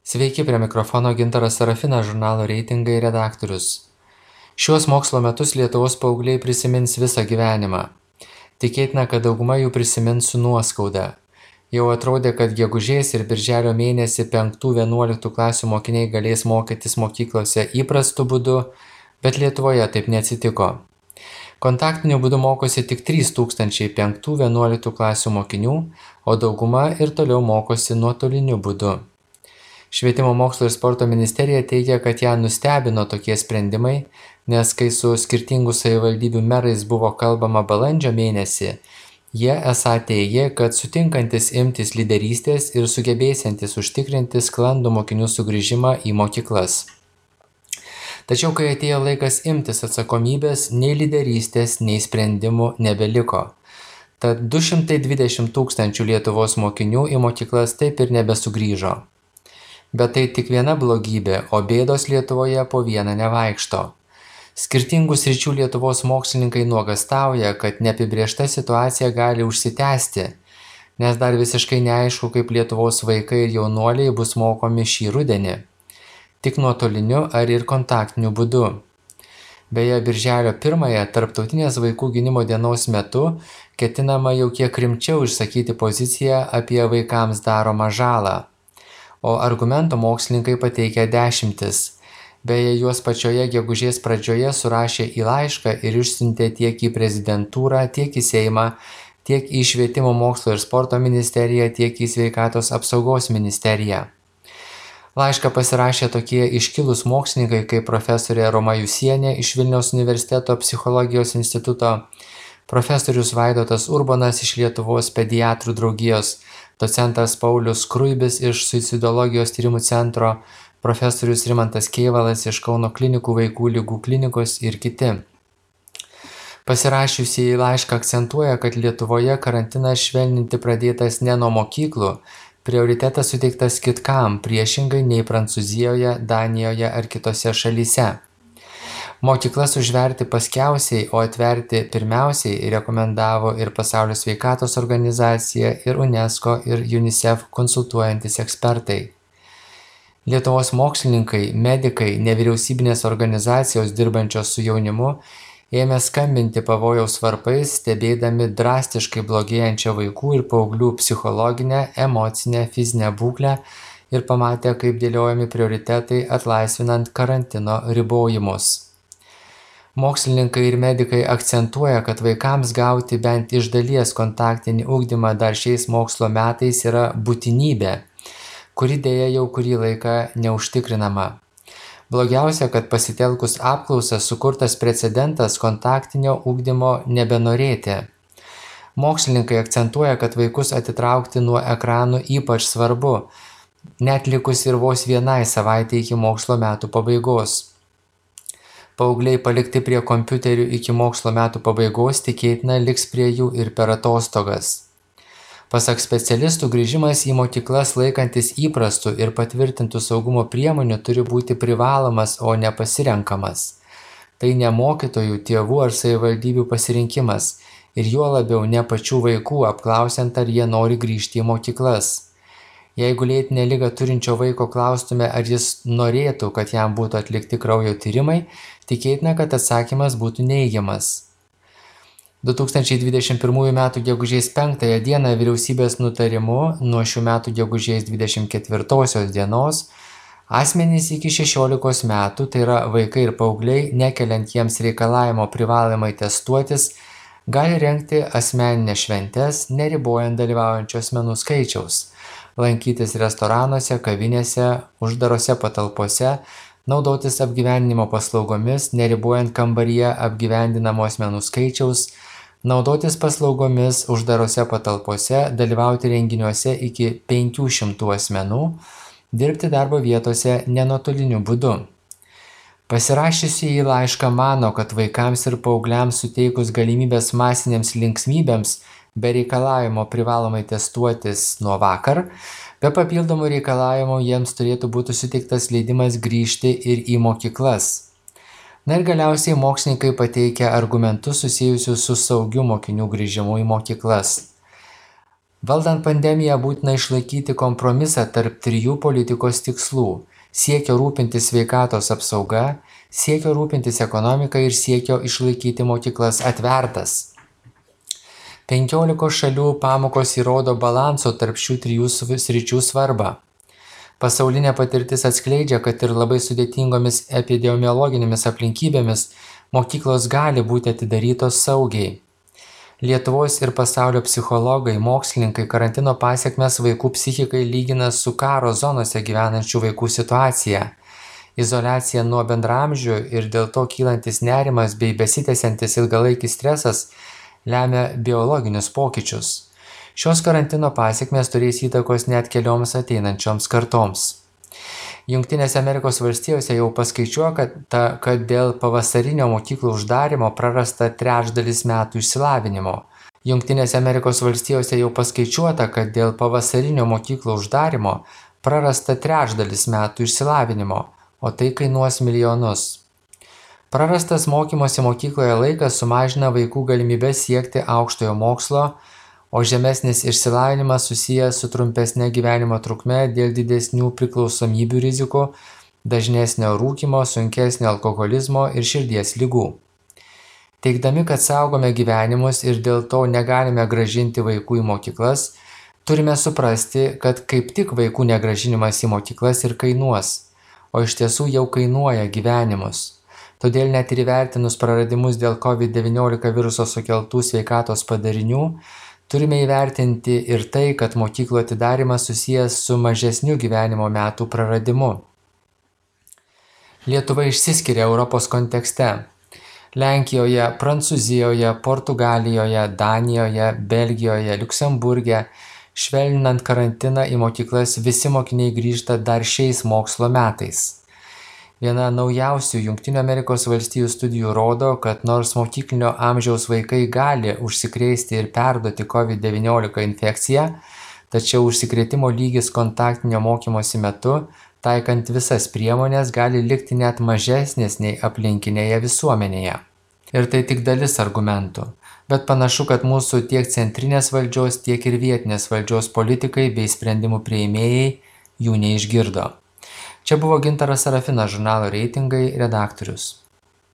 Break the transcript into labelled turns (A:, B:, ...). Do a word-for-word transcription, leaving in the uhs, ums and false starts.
A: Sveiki, prie mikrofono Gintaras Sarafinas, žurnalo Reitingai redaktorius. Šiuos mokslo metus Lietuvos paaugliai prisimins visą gyvenimą. Tikėtina, kad dauguma jų prisimins su nuoskauda. Jau atrodė, kad gegužės ir birželio mėnesį penktų vienuoliktų klasių mokiniai galės mokytis mokyklose įprastu būdu, bet Lietuvoje taip neatsitiko. Kontaktiniu būdu mokosi tik trys tūkstančiai penktų vienuoliktų klasių mokinių, o dauguma ir toliau mokosi nuotoliniu būdu. Švietimo mokslo ir sporto ministerija teigia, kad ją nustebino tokie sprendimai, nes kai su skirtingų savivaldybių merais buvo kalbama balandžio mėnesį, jie esą teigė, kad sutinkantis imtis lyderystės ir sugebėsiantis užtikrinti sklandų mokinių sugrįžimą į mokyklas. Tačiau, kai atėjo laikas imtis atsakomybės, nei lyderystės, nei sprendimų nebeliko. Tad du šimtai dvidešimt tūkstančių Lietuvos mokinių į mokyklas taip ir nebesugrįžo. Bet tai tik viena blogybė, o bėdos Lietuvoje po vieną nevaikšto. Skirtingų sričių Lietuvos mokslininkai nuogastauja, kad neapibrėžta situacija gali užsitęsti, nes dar visiškai neaišku, kaip Lietuvos vaikai ir jaunuoliai bus mokomi šį rudenį. Tik nuotoliniu ar ir kontaktiniu būdu. Beje, birželio pirmąją Tarptautinės vaikų gynimo dienos metu ketinama jau kiek rimčiau išsakyti poziciją apie vaikams daromą žalą. O argumentų mokslininkai pateikia dešimtis. Beje, juos pačioje gegužės pradžioje surašė į laišką ir išsiuntė tiek į prezidentūrą, tiek į Seimą, tiek į Švietimo mokslo ir sporto ministeriją, tiek į Sveikatos apsaugos ministeriją. Laišką pasirašė tokie iškilūs mokslininkai kaip profesorė Roma Jusienė iš Vilniaus universiteto psichologijos instituto, profesorius Vaidotas Urbonas iš Lietuvos pediatrų draugijos, docentas Paulius Skruibis iš Suicidologijos tyrimų centro, profesorius Rimantas Kėvalas iš Kauno klinikų vaikų ligų klinikos ir kiti. Pasirašiusieji laišką akcentuoja, kad Lietuvoje karantinas švelninti pradėtas ne nuo mokyklų, prioritetas suteiktas kitkam, priešingai nei Prancūzijoje, Danijoje ar kitose šalyse. Mokyklas užverti paskiausiai, o atverti pirmiausiai rekomendavo ir Pasaulio sveikatos organizacija, ir UNESCO, ir UNICEF konsultuojantis ekspertai. Lietuvos mokslininkai, medikai, nevyriausybinės organizacijos dirbančios su jaunimu ėmė skambinti pavojaus varpais, stebėdami drastiškai blogėjančią vaikų ir paauglių psichologinę, emocinę, fizinę būklę ir pamatė, kaip dėliojami prioritetai atlaisvinant karantino ribojimus. Mokslininkai ir medikai akcentuoja, kad vaikams gauti bent iš dalies kontaktinį ugdymą dar šiais mokslo metais yra būtinybė, kuri dėja jau kurį laiką neužtikrinama. Blogiausia, kad pasitelkus apklausą sukurtas precedentas kontaktinio ugdymo nebenorėti. Mokslininkai akcentuoja, kad vaikus atitraukti nuo ekranų ypač svarbu, net likus ir vos vienai savaitei iki mokslo metų pabaigos. Paaugliai palikti prie kompiuterių iki mokslo metų pabaigos tikėtina liks prie jų ir per atostogas. Pasak specialistų, grįžimas į mokyklas laikantis įprastų ir patvirtintų saugumo priemonių turi būti privalomas, o ne pasirenkamas. Tai ne mokytojų, tėvų ar savivaldybių pasirinkimas ir juo labiau ne pačių vaikų, apklausiant, ar jie nori grįžti į mokyklas. Jeigu lėtinę ligą turinčio vaiko klaustume, ar jis norėtų, kad jam būtų atlikti kraujo tyrimai, tikėtina, kad atsakymas būtų neigiamas. du tūkstančiai dvidešimt pirmųjų metų gegužės penktąją dieną vyriausybės nutarimu nuo šių metų gegužės dvidešimt ketvirtosios dienos asmenys iki šešiolikos metų, tai yra vaikai ir paaugliai, nekeliant jiems reikalavimo privalomai testuotis, gali rengti asmeninės šventes, neribojant dalyvaujančių asmenų skaičiaus, lankytis restoranuose, kavinėse, uždarose patalpose, naudotis apgyvendinimo paslaugomis, neribojant kambaryje apgyvendinamų asmenų skaičiaus, naudotis paslaugomis uždarose patalpose, dalyvauti renginiuose iki penkių šimtų asmenų, dirbti darbo vietose nenuotoliniu būdu. Pasirašiusieji laišką mano, kad vaikams ir paaugliams suteikus galimybės masinėms linksmybėms be reikalavimo privalomai testuotis nuo vakar, be papildomų reikalavimų jiems turėtų būti suteiktas leidimas grįžti ir į mokyklas. Na ir galiausiai mokslininkai pateikia argumentus susijusius su saugiu mokinių grįžimu į mokyklas. Valdant pandemiją būtina išlaikyti kompromisą tarp trijų politikos tikslų - siekio rūpintis sveikatos apsauga, siekio rūpintis ekonomika ir siekio išlaikyti mokyklas atvertas. Penkiolikos šalių pamokos įrodo balanso tarp šių trijų sričių svarbą. Pasaulinė patirtis atskleidžia, kad ir labai sudėtingomis epidemiologinėmis aplinkybėmis mokyklos gali būti atidarytos saugiai. Lietuvos ir pasaulio psichologai, mokslininkai karantino pasekmes vaikų psichikai lygina su karo zonose gyvenančių vaikų situacija. Izoliacija nuo bendraamžių ir dėl to kylantis nerimas bei besitęsiantis ilgalaikis stresas lemia biologinius pokyčius. Šios karantino pasekmės turės įtakos net kelioms ateinančioms kartoms. Jungtinėse Amerikos valstijose jau paskaičiuota, kad, kad dėl pavasarinio mokyklų uždarymo prarasta trečdalis metų išsilavinimo. Jungtinėse Amerikos valstijose jau paskaičiuota, kad dėl pavasarinio mokyklų uždarymo prarasta trečdalis metų išsilavinimo, o tai kainuos milijonus. Prarastas mokymosi mokykloje laikas sumažina vaikų galimybę siekti aukštojo mokslo, o žemesnis išsilavinimas susijęs su trumpesne gyvenimo trukme dėl didesnių priklausomybių rizikų, dažnesnio rūkymo, sunkesnio alkoholizmo ir širdies ligų. Teigdami, kad saugome gyvenimus ir dėl to negalime grąžinti vaikų į mokyklas, turime suprasti, kad kaip tik vaikų negrąžinimas į mokyklas ir kainuos, o iš tiesų jau kainuoja gyvenimus. Todėl net ir įvertinus praradimus dėl COVID devyniolika viruso sukeltų sveikatos padarinių, turime įvertinti ir tai, kad mokyklų atidarymas susijęs su mažesniu gyvenimo metų praradimu. Lietuva išsiskiria Europos kontekste. Lenkijoje, Prancūzijoje, Portugalijoje, Danijoje, Belgijoje, Liuksemburge, švelninant karantiną į mokyklas visi mokiniai grįžta dar šiais mokslo metais. Viena naujausių Jungtinių Amerikos valstijų studijų rodo, kad nors mokyklinio amžiaus vaikai gali užsikrėsti ir perduoti COVID devyniolika infekciją, tačiau užsikrėtimo lygis kontaktinio mokymosi metu, taikant visas priemonės, gali likti net mažesnis nei aplinkinėje visuomenėje. Ir tai tik dalis argumentų, bet panašu, kad mūsų tiek centrinės valdžios, tiek ir vietinės valdžios politikai bei sprendimų priėmėjai jų neišgirdo. Čia buvo Gintaras Sarafinas, žurnalo Reitingai redaktorius.